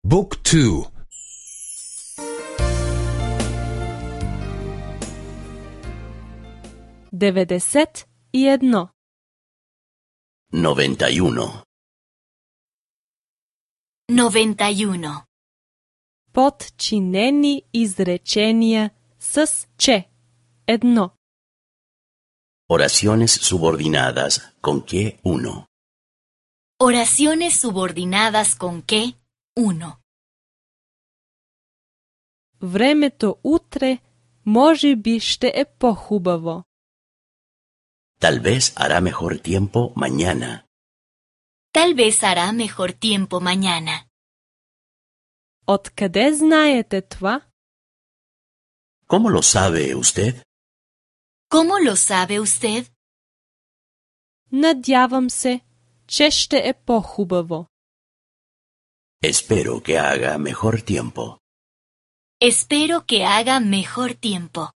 Book 2. 91. 91. 91. Подчинени изречения с че. Едно. Oraciones subordinadas con que uno. Oraciones subordinadas con que 1. Времето утре може би ще е по-хубаво. Tal vez hará mejor tiempo mañana. Tal vez hará mejor tiempo mañana. Откъде знаете това? ¿Cómo lo sabe usted? ¿Cómo lo sabe usted? Надявам се, че ще е по-хубаво. Espero que haga mejor tiempo. Espero que haga mejor tiempo.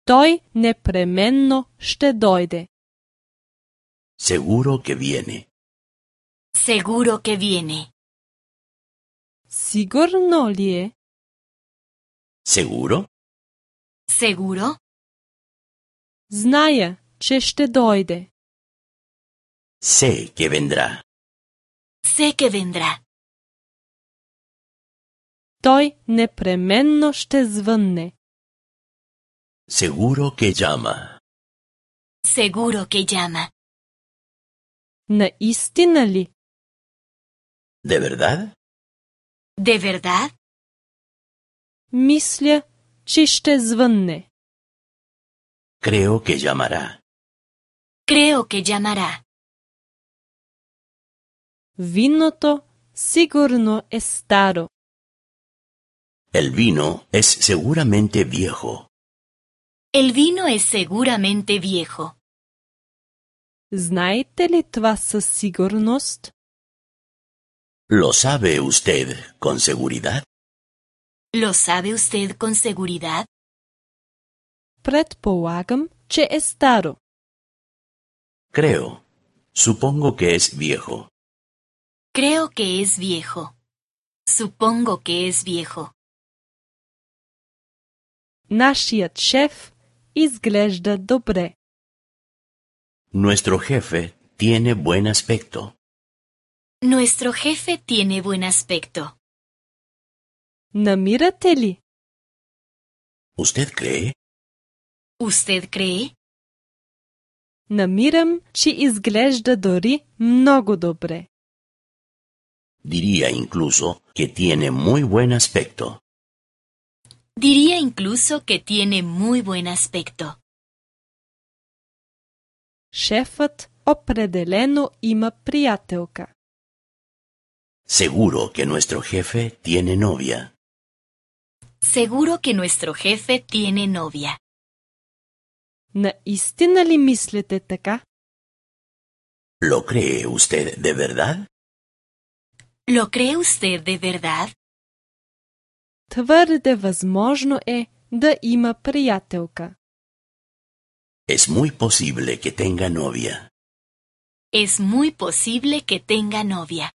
Той непременно ще дойде. Seguro que viene. Seguro que viene. Сигурно ли е? ¿Seguro? ¿Seguro? Зная, че ще дойде. Sé que vendrá. Sé que vendrá. Той непременно ще звънне. Seguro que llama. Seguro que llama. Наистина ли? ¿De verdad? ¿De verdad? Мисля, че ще звънне. Creo que llamará. Creo que llamará. Виното сигурно е старо. El vino es seguramente viejo. El vino es seguramente viejo. Знаете ли това със сигурност? ¿Lo sabe usted con seguridad? ¿Lo sabe usted con seguridad? Предполагам, че е старо. Creo. Supongo que es viejo. Creo que es viejo. Supongo que es viejo. Нашият шеф изглежда добре. Nuestro jefe tiene buen aspecto. Nuestro jefe tiene buen aspecto. Намирате ли? ¿Usted cree? ¿Usted cree? Намирам, че изглежда дори много добре. Diría incluso que tiene muy buen aspecto. Diría incluso que tiene muy buen aspecto. Шефът определено има приятелка. Seguro que nuestro jefe tiene novia. Seguro que nuestro jefe tiene novia. Наистина ли мислите така? ¿Lo cree usted de verdad? ¿Lo cree usted de verdad? Твърде възможно е да има приятелка. Es muy posible que tenga novia. Es muy posible que tenga novia.